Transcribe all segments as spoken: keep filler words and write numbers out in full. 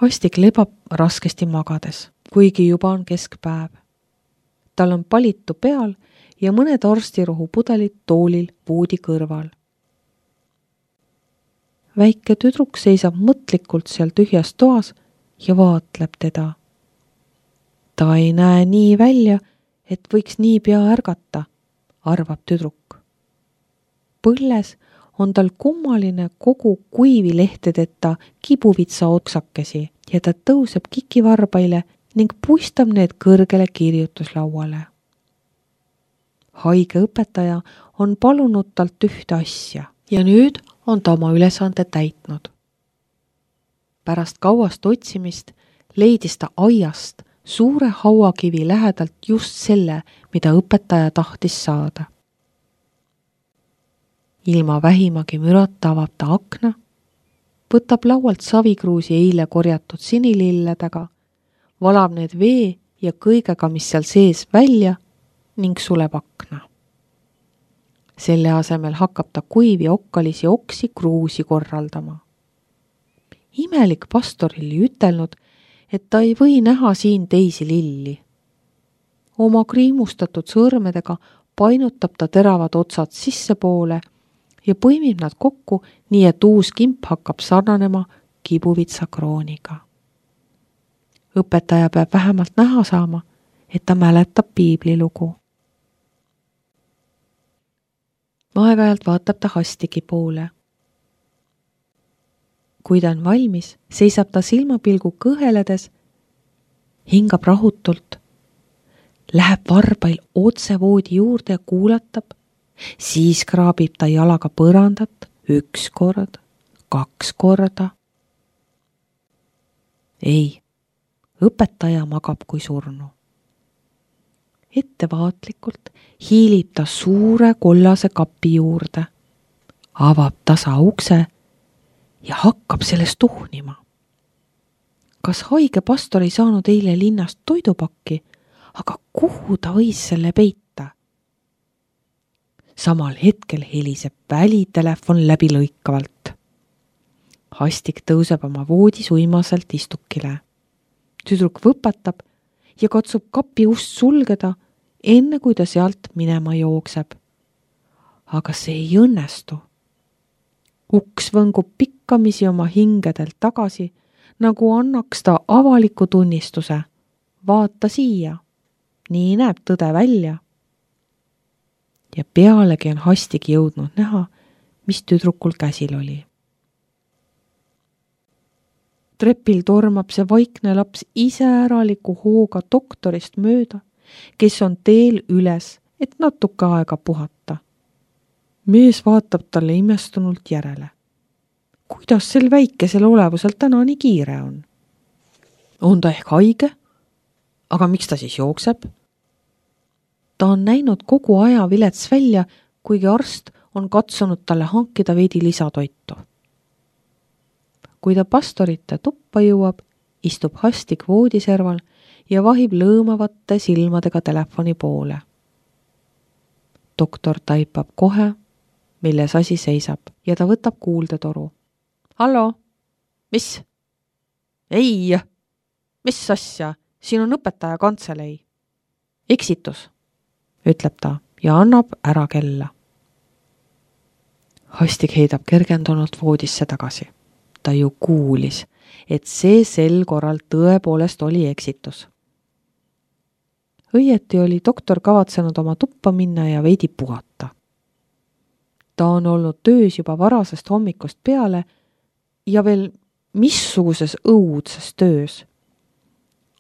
Hastik lebab raskesti magades, kuigi juba on keskpäev. Tal on palitu peal ja mõned arstirohu pudelid toolil voodi kõrval. Väike tüdruk seisab mõtlikult seal tühjas toas ja vaatleb teda. Ta ei näe nii välja, et võiks nii pea ärgata, arvab tüdruk. Põlles on tal kummaline kogu kuivilehtedeta kibuvitsa oksakesi ja ta tõuseb kikivarbaile ning puistab need kõrgele kirjutuslauale. Haige õpetaja on palunud talt ühte asja ja nüüd on ta oma ülesande täitnud. Pärast kauast otsimist leidis ta aiast suure hauakivi lähedalt just selle, mida õpetaja tahtis saada. Ilma vähimagi mürata avab ta akna, võtab laualt savikruusi eile korjatud sinililledega, valab need vee ja kõigega, mis seal sees välja ning suleb akna. Selle asemel hakkab ta kuivi okkalisi oksi kruusi korraldama. Imelik pastor oli ütelnud, et ta ei või näha siin teisi lilli. Oma kriimustatud sõrmedega painutab ta teravad otsad sissepoole ja põimib nad kokku, nii et uus kimp hakkab sarnanema kibuvitsa krooniga. Õpetaja peab vähemalt näha saama, et ta mäletab piiblilugu. Aeg-ajalt vaatab ta Hastigi poole. Kui ta on valmis, seisab ta silmapilgu kõheledes, hingab rahutult, läheb varbail otse voodi juurde ja kuulatab, siis kraabib ta jalaga põrandat üks kord, kaks korda. Ei, õpetaja magab kui surnu. Ettevaatlikult hiilib ta suure kollase kapi juurde, avab tasa ukse ja hakkab sellest tuhnima. Kas haige pastor ei saanud eile linnast toidupakki, aga kuhu ta võis selle peita? Samal hetkel heliseb välitelefon läbilõikavalt. Hastik tõuseb oma voodis uimaselt istukile. Tüdruk võpatab ja katsub kapi ust sulgeda, enne kui ta sealt minema jookseb. Aga see ei õnnestu. Uks võngub pikkamisi oma hingedelt tagasi, nagu annaks ta avaliku tunnistuse. Vaata siia, nii näeb tõde välja. Ja pealegi on Hastik jõudnud näha, mis tüdrukul käsil oli. Trepil tormab see vaikne laps iseäraliku hooga doktorist mööda, kes on teel üles, et natuke aega puhata. Mees vaatab talle imestunult järele. Kuidas sel väikesel olevusel täna nii kiire on? On ta ehk haige? Aga miks ta siis jookseb? Ta on näinud kogu aja vilets välja, kuigi arst on katsunud talle hankida veidi lisatoitu. Kui ta pastorite tuppa jõuab, istub Hastik voodiserval ja vahib lõõmavate silmadega telefoni poole. Doktor taipab kohe, milles asi seisab, ja ta võtab kuuldetoru. Hallo, mis? Ei, mis asja? Siin on õpetaja kantselei. Eksitus, ütleb ta ja annab ära kella. Hastik heidab kergendunult voodisse tagasi. Ta ju kuulis, et see sel korral tõepoolest oli eksitus. Õieti oli doktor kavatsenud oma tuppa minna ja veidi puhata. Ta on olnud töös juba varasest hommikust peale ja veel missuguses õudses töös.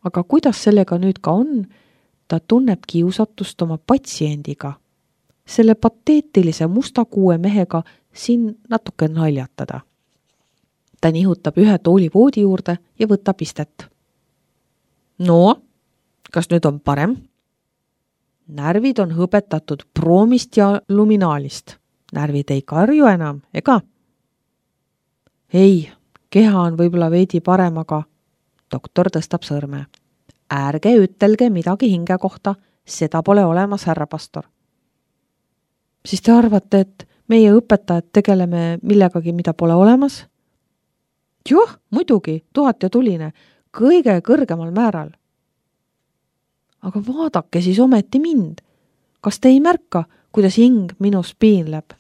Aga kuidas sellega nüüd ka on, ta tunneb kiusatust oma patsiendiga, selle pateetilise musta kuue mehega siin natuke naljatada. Ta nihutab ühe tooli voodi juurde ja võtab istet. No, kas nüüd on parem? Närvid on hõbetatud proomist ja luminaalist. Närvid ei karju enam, ega? Ei, keha on võib-olla veidi parem, aga doktor tõstab sõrme. Ärge ütelge midagi hinge kohta, seda pole olemas, härra pastor. Siis te arvate, et meie õpetajad tegeleme millegagi, mida pole olemas? Joh, muidugi, tuhat ja tuline, kõige kõrgemal määral. Aga vaadake siis ometi mind. Kas te ei märka, kuidas hing minus piinleb?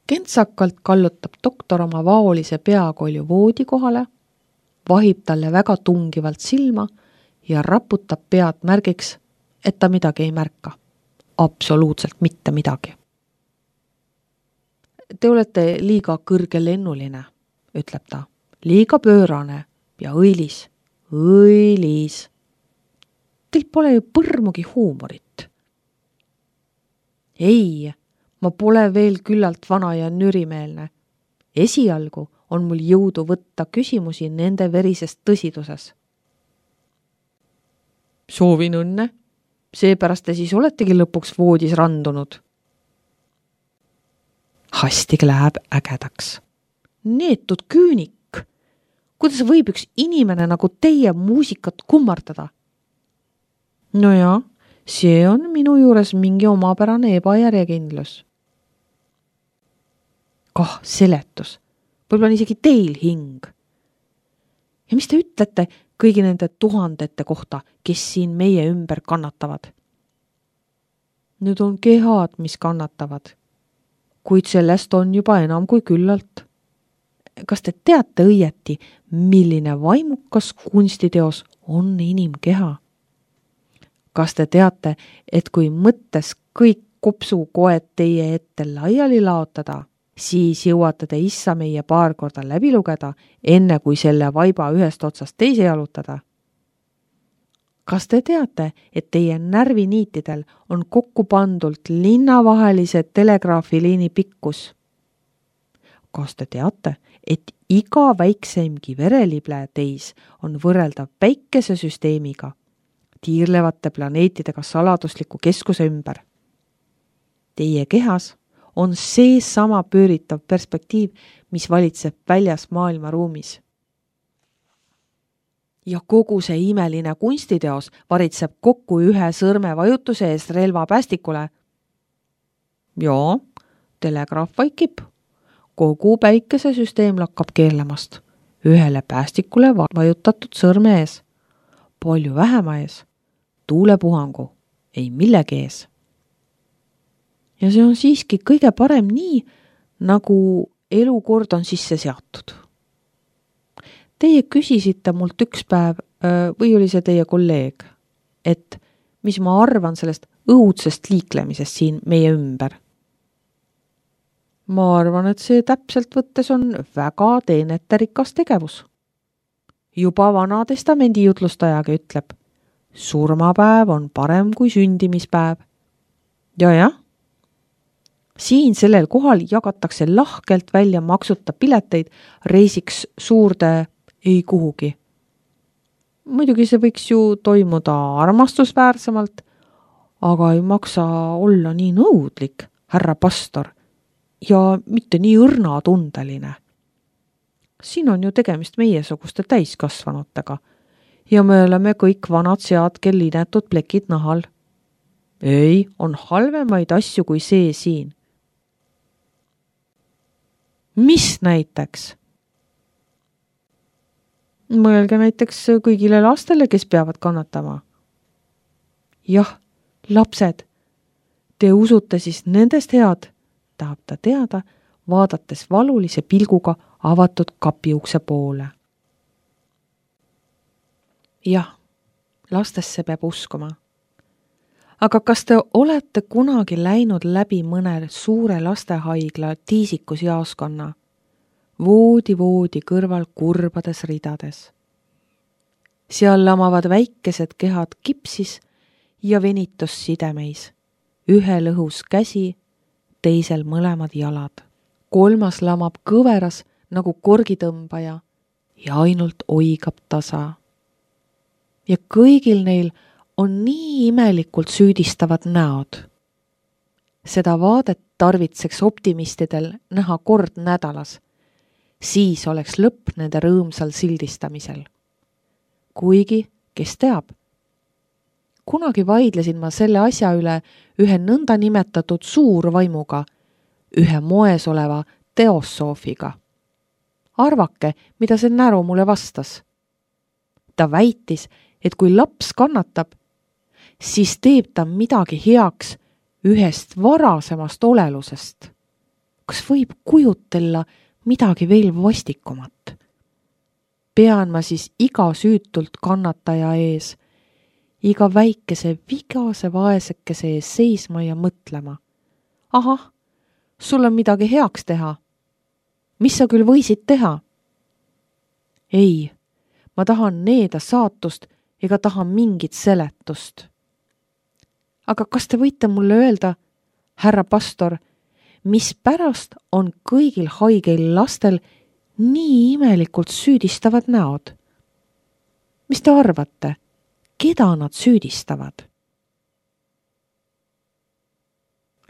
Kentsakalt kallutab doktor oma vaolise peakolju voodi kohale, vahib talle väga tungivalt silma ja raputab pead märgiks, et ta midagi ei märka. Absoluutselt mitte midagi. Te olete liiga kõrgelennuline, ütleb ta. Liiga pöörane ja õilis. Õilis. Teil pole ju põrmugi huumorit. Ei, ma pole veel küllalt vana ja nürimeelne. Esialgu on mul jõudu võtta küsimusi nende verisest tõsiduses. Soovin õnne. Seepärast te siis oletegi lõpuks voodis randunud. Hastig läheb ägedaks. Neetud küünik. Kuidas võib üks inimene nagu teie muusikat kummardada? No jaa, see on minu juures mingi omapärane ebajärjekindlus. Kah seletus. Võib-olla on isegi teil hing. Ja mis te ütlete kõigi nende tuhandete kohta, kes siin meie ümber kannatavad? Nüüd on kehad, mis kannatavad. Kuid sellest on juba enam kui küllalt. Kas te teate õieti, milline vaimukas kunstiteos on inimkeha? Kas te teate, et kui mõttes kõik kopsukoed teie ette laiali laotada, siis jõuate te issa meie paar korda läbi lugeda, enne kui selle vaiba ühest otsast teise jalutada? Kas te teate, et teie närviniitidel on kokku pandult linnavahelise telegraafiliini pikkus? Kas te teate, et iga väikseimgi verelible teis on võrreldav päikesesüsteemiga, tiirlevate planeetidega saladusliku keskuse ümber? Teie kehas on see sama pööritav perspektiiv, mis valitseb väljas maailmaruumis. Ja kogu see imeline kunstiteos varitseb kokku ühe sõrme vajutuse eest relva päästikule. Joo, telegraaf vaikib. Kogu päikesesüsteem lakkab keerlemast. Ühele päästikule vajutatud sõrme ees. Palju vähema ees. Tuulepuhangu. Ei millegi ees. Ja see on siiski kõige parem nii, nagu elukord on sisse seatud. Teie küsisite mult üks päev, või oli see teie kolleeg, et mis ma arvan sellest õudsest liiklemisest siin meie ümber. Ma arvan, et see täpselt võttes on väga teeneterikas tegevus. Juba vana testamendi jutlustajaga ütleb, surmapäev on parem kui sündimispäev. Ja jah, siin sellel kohal jagatakse lahkelt välja maksuta pileteid reisiks suurde ei kuhugi. Muidugi see võiks ju toimuda armastusväärsemalt, aga ei maksa olla nii nõudlik, härra pastor, ja mitte nii õrnatundeline. Siin on ju tegemist meiesuguste täiskasvanutega ja me oleme kõik vanad sead, kel linetud plekid nahal. Ei, on halvemaid asju kui see siin. Mis näiteks? Mõelge näiteks kõigile lastele, kes peavad kannatama. Jah, lapsed, te usute siis nendest head, tahab ta teada, vaadates valulise pilguga avatud kapiukse poole. Jah, lastesse peab uskuma. Aga kas te olete kunagi läinud läbi mõne suure lastehaigla tiisikusjaoskonna? Voodi voodi kõrval kurbades ridades. Seal lamavad väikesed kehad kipsis ja venitus sidemeis. Ühel õhus käsi, teisel mõlemad jalad. Kolmas lamab kõveras nagu korgitõmbaja ja ainult oigab tasa. Ja kõigil neil on nii imelikult süüdistavad näod. Seda vaadet tarvitseks optimistidel näha kord nädalas. Siis oleks lõpp nende rõõmsal sildistamisel. Kuigi, kes teab? Kunagi vaidlesin ma selle asja üle ühe nõnda nimetatud suurvaimuga, ühe moes oleva teosoofiga. arvake, mida see näru mulle vastas. Ta väitis, et kui laps kannatab, siis teeb ta midagi heaks ühest varasemast olelusest. Kas võib kujutella midagi veel vastikumat? Pean ma siis iga süütult kannataja ees, iga väikese vigase vaesekese ees seisma ja mõtlema. Ahah, sul on midagi heaks teha. Mis sa küll võisid teha? Ei, ma tahan needa saatust ega taha mingit seletust. Aga kas te võite mulle öelda, härra pastor, mis pärast on kõigil haigeil lastel nii imelikult süüdistavad näod? Mis te arvate, keda nad süüdistavad?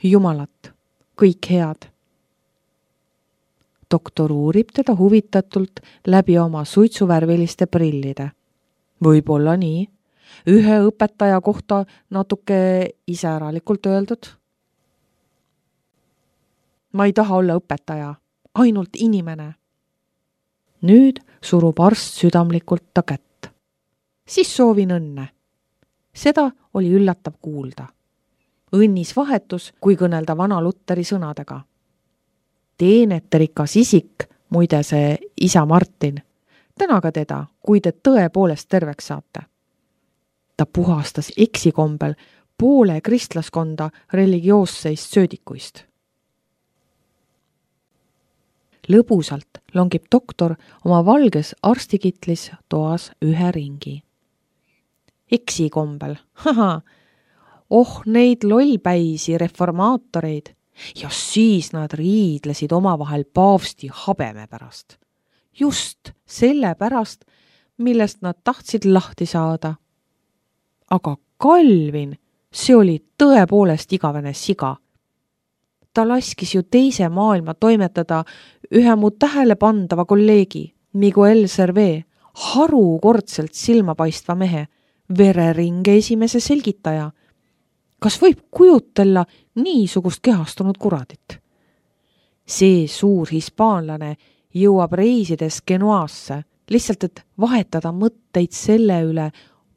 Jumalat, kõik head. Doktor uurib teda huvitatult läbi oma suitsuvärviliste prillide. Võib-olla nii, ühe õpetaja kohta natuke iseäralikult öeldud. Ma ei taha olla õpetaja, ainult inimene. Nüüd surub arst südamlikult ta kätt. Siis soovin õnne. Seda oli üllatav kuulda. Õnnis vahetus, kui kõnelda vana Lutteri sõnadega. Teeneterikas isik, muide see isa Martin, tänaga teda, kui te tõepoolest terveks saate. Ta puhastas eksikombel poole kristlaskonda religioosseist söödikuist. Lõbusalt longib doktor oma valges arstikitlis toas ühe ringi. Eksikombel, haha, oh neid lollpäisi reformaatoreid, ja siis nad riidlesid omavahel paavsti habeme pärast. Just selle pärast, millest nad tahtsid lahti saada. Aga Calvin, see oli tõepoolest igavene siga. Ta laskis ju teise maailma toimetada ühe mu tähelepandava kolleegi, Miguel Servet, harukordselt silmapaistva mehe, vereringe esimese selgitaja. Kas võib kujutella niisugust kehastunud kuradit? See suur hispaanlane jõuab reisides Genuasse, lihtsalt et vahetada mõtteid selle üle,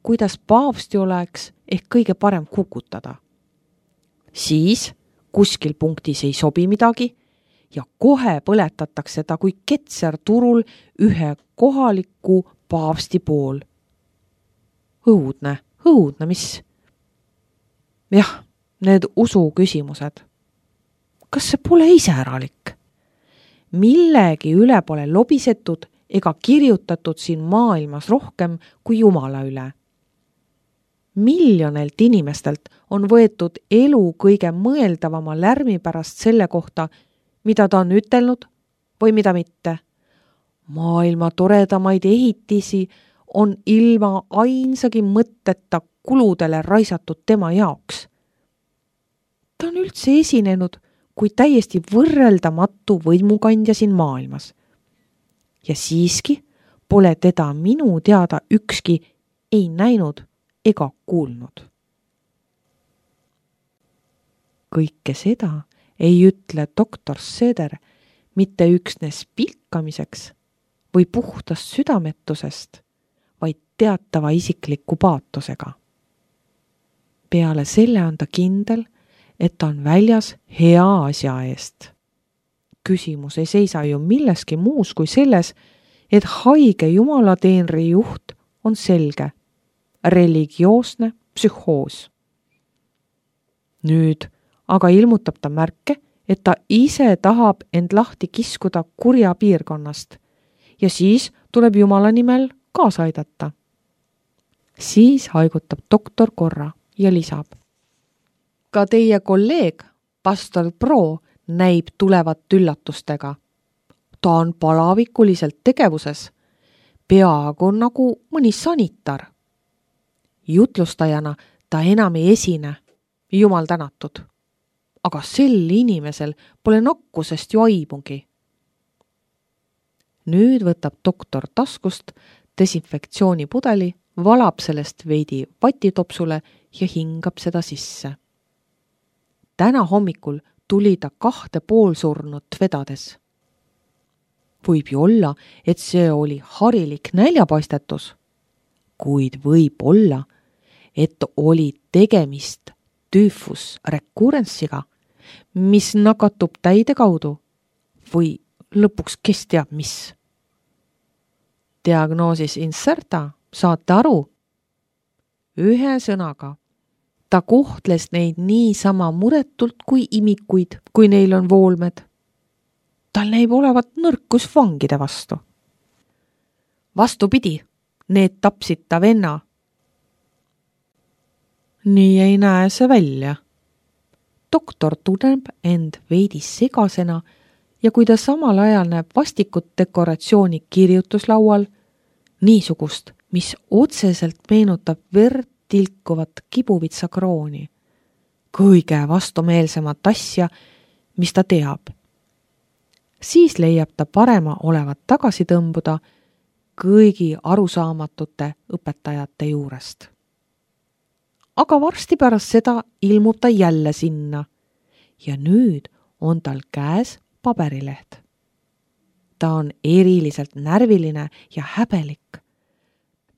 kuidas paavsti oleks ehk kõige parem kukutada. Siis kuskil punktis ei sobi midagi ja kohe põletatakse ta kui ketser turul ühe kohaliku paavsti pool. Õudne, õudne, mis? Jah, need usu küsimused. Kas see pole iseäralik? Millegi üle pole lobisetud ega kirjutatud siin maailmas rohkem kui Jumala üle. Miljonelt inimestelt on võetud elu kõige mõeldavama lärmi pärast selle kohta, mida ta on ütelnud või mida mitte. Maailma toredamaid ehitisi on ilma ainsagi mõtteta kuludele raisatud tema jaoks. Ta on üldse esinenud kui täiesti võrreldamatu võimukandja siin maailmas. Ja siiski pole teda minu teada ükski ei näinud ega kuulnud. Kõike seda ei ütle doktor Seder mitte üksnes pilkamiseks või puhtast südametusest, vaid teatava isikliku paatosega. Peale selle on ta kindel, et ta on väljas hea asja eest. Küsimus ei seisa ju milleski muus kui selles, et haige jumalateenri juht on selge, religioosne psühhoos. Nüüd aga ilmutab ta märke, et ta ise tahab end lahti kiskuda kurja piirkonnast ja siis tuleb Jumala nimel kaasa aidata. Siis haigutab doktor korra ja lisab. Ka teie kolleeg, pastor Pro, näib tulevat üllatustega. Ta on palavikuliselt tegevuses, peaaegu nagu mõni sanitar. Jutlustajana ta enam ei esine, Jumal tänatud. Aga sel inimesel pole nakkusest ju aimugi. Nüüd võtab doktor taskust desinfektsioonipudeli, valab sellest veidi vatitopsule ja hingab seda sisse. Täna hommikul tuli ta kahte poolsurnut vedades. Võib ju olla, et see oli harilik näljapaistetus, kuid võib olla, et oli tegemist tüüfus recurrence'iga, mis nakatub täide kaudu või lõpuks kes teab mis. Diagnoosis inserta, saate aru? Ühe sõnaga, ta kohtles neid niisama muretult kui imikuid, kui neil on voolmed. Tal näib olevat nõrkus vangide vastu. Vastupidi, need tapsid ta venna. Nii ei näe see välja. Doktor tunneb end veidi segasena ja kui ta samal ajal näeb vastikut dekoratsiooni kirjutuslaual, niisugust, mis otseselt meenutab verd tilkuvat kibuvitsa krooni, kõige vastumeelsemat asja, mis ta teab, siis leiab ta parema olevat tagasi tõmbuda kõigi arusaamatute õpetajate juurest. Aga varsti pärast seda ilmub ta jälle sinna ja nüüd on tal käes paberileht. Ta on eriliselt närviline ja häbelik.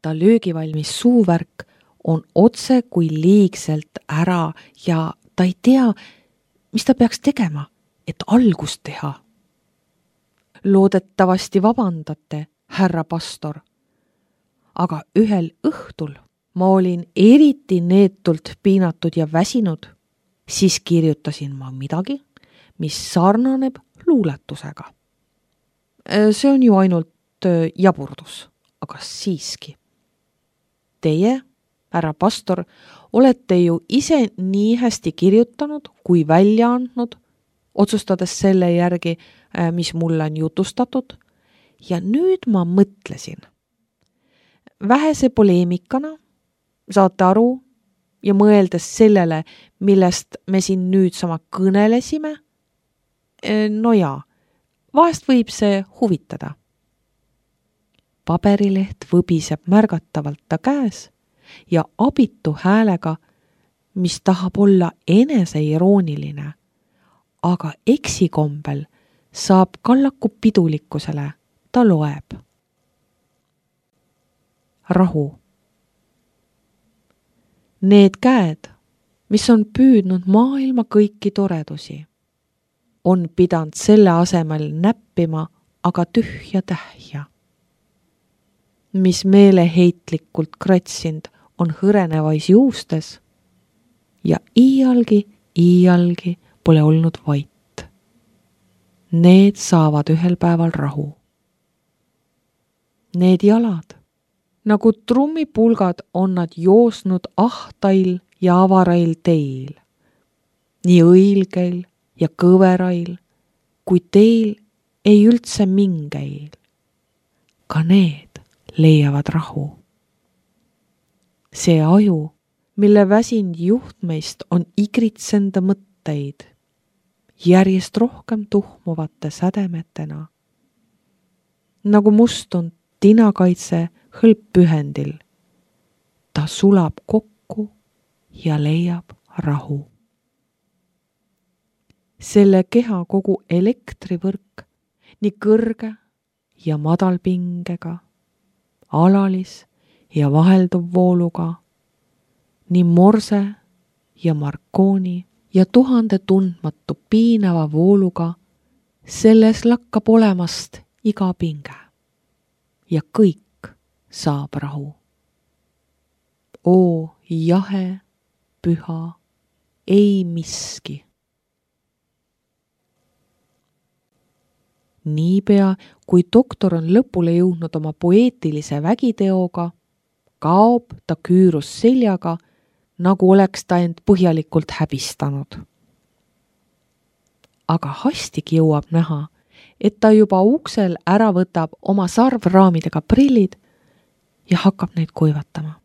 Ta löögivalmis suuvärk on otse kui liigselt ära ja ta ei tea, mis ta peaks tegema, et algust teha. Loodetavasti vabandate, härra pastor, aga ühel õhtul ma olin eriti neetult piinatud ja väsinud, siis kirjutasin ma midagi, mis sarnaneb luuletusega. See on ju ainult jaburdus, aga siiski. Teie, härra pastor, olete ju ise nii hästi kirjutanud kui välja andnud, otsustades selle järgi, mis mulle on jutustatud, ja nüüd ma mõtlesin. Vähese poleemikana, saate aru, ja mõeldes sellele, millest me siin nüüd sama kõnelesime, no jaa, vahest võib see huvitada. Paberileht võbiseb märgatavalt ta käes ja abitu häälega, mis tahab olla eneseirooniline, aga eksikombel saab kallaku pidulikkusele, ta loeb. Rahu. Need käed, mis on püüdnud maailma kõiki toredusi, on pidanud selle asemel näppima aga tühja tähja, mis meeleheitlikult kratsind on hõrenevais juustes ja iialgi, iialgi pole olnud vait. Need saavad ühel päeval rahu. Need jalad, nagu trummipulgad on nad joosnud ahtail ja avarail teil, nii õilgeil ja kõverail, kui teil ei üldse mingeil. Ka need leiavad rahu. See aju, mille väsind juhtmeist on igritsenda mõtteid, järjest rohkem tuhmuvate sädemetena, nagu mustunud tinakaitse hõlppühendil. Ta sulab kokku ja leiab rahu. Selle keha kogu elektrivõrk, nii kõrge ja madalpingega, alalis ja vahelduv vooluga, nii morse ja markooni ja tuhande tundmatu piinava vooluga, selles lakkab olemast iga pinge ja kõik saab rahu. Oo jahe, püha, ei miski. Niipea, kui doktor on lõpule jõudnud oma poeetilise vägiteoga, kaob ta küürus seljaga, nagu oleks ta end põhjalikult häbistanud. Aga hastig jõuab näha, et ta juba uksel ära võtab oma sarvraamidega prillid ja hakkab neid kuivatama.